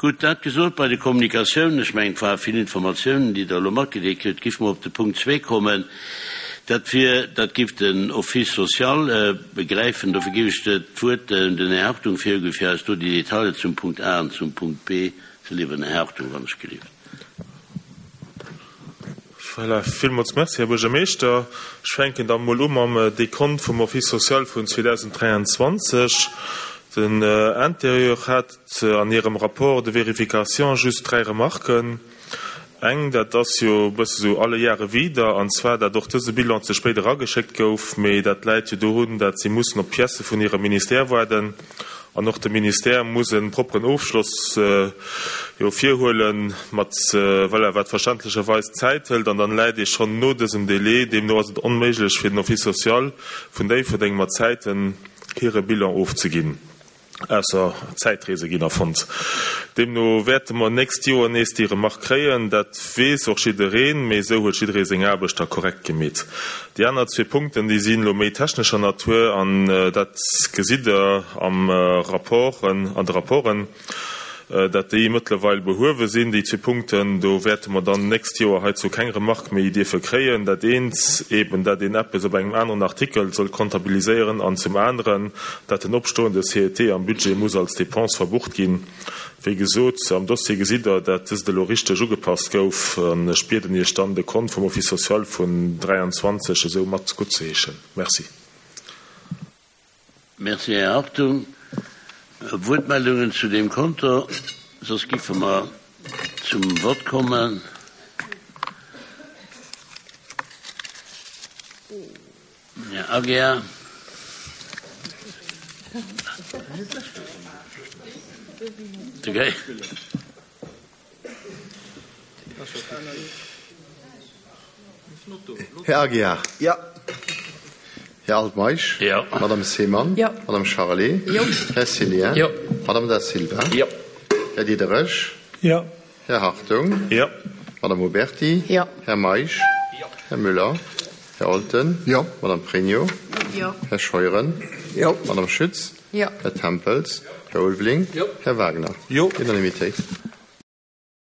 Gutt, dat gesot, bei de Kommunikatiounen, ech mengen, et ware vill Informatiounen, déi Der elo matgedeelt kritt, giff mer op de Punkt zwee kommen. Dat wier, dat giff den Office social begräifen. Dofir giff ech d'Wuert un den Här Hartung virginn, fir eis do déi Detailer zum Punkt A an zum Punkt B ze liwweren. Här Hartung, wann ech gelift. Voilà, villmools Merci, Här Buergermeeschter. Ech fänken da mol u mam Dekont vum Office social vun 2023. Den Interieur hat an hirem Rapport de vérification just dräi Remarken. Eng, dat ass jo e bësse sou alle Jahre wieder, an zwar dat och dëse Bilan ze spéit erageschéckt gouf, mee dat läit jo dorun, dat si mussen op d'Piècë vun hirem Ministère waarden. An och de Ministère muss e propperen Ofschloss jo virhuelen, mat, voilà, wat verständlecherweis Zäit hëlt. An dann läit ee schonn no dësem Délai. Deemno ass et onméiglech fir den Office social vun Déifferdeng mat Zäiten hire Bilan ofzeginn, ausser Zäitreese ginn erfonnt. Deemno wäerte mer nächst Joer nees déi Remark kréien. Dat weess och jiddereen, mee esou huet jidderee seng Aarbecht da korrekt gemeet. Déi aner zwee Punkten, déi sinn elo méi technescher Natur an dat gesitt Der am Rapport, an de Rapporten, dat déi mëttlerweil behuewe sinn, déi zwee Punkten. Do wäerte mer dann d'nächst Joer heizou keng Remarque méi dierfe kréien. Dat eent eben, dat een eppes op engem aneren Artikel soll comptabiliséieren an zum aneren, dat den opstoende CET am Budget muss als Dépense verbucht ginn. Wéi gesot, am Dossier gesitt Der, dat dëst elo richteg ugepasst gouf an ech bieden Iech dann, de Kont vum Office social vun 23 esou mat guttzeheeschen. Merci. Merci, Här Hartung. Wuertmeldungen zu deem Konto? Soss giffe mer zum Vott kommen. Här Aguiar. Här Aguiar. Jo. Här Altmeisch. Jo. Madame Seemann. Jo. Madame Charlé. Jo. Här Cillien. Jo. Madame Da Silva. Jo. Här Diderich. Jo. Här Hartung. Jo. Madame Oberti. Jo. Här Meisch. Jo. Här Müller. Här Olten. Jo. Madame Pregno. Jo. Här Scheuren. Jo. Madame Schütz. Jo. Här Tempels. Här Ulveling. Jo. Här Wagner. Jo. Unanimitéit.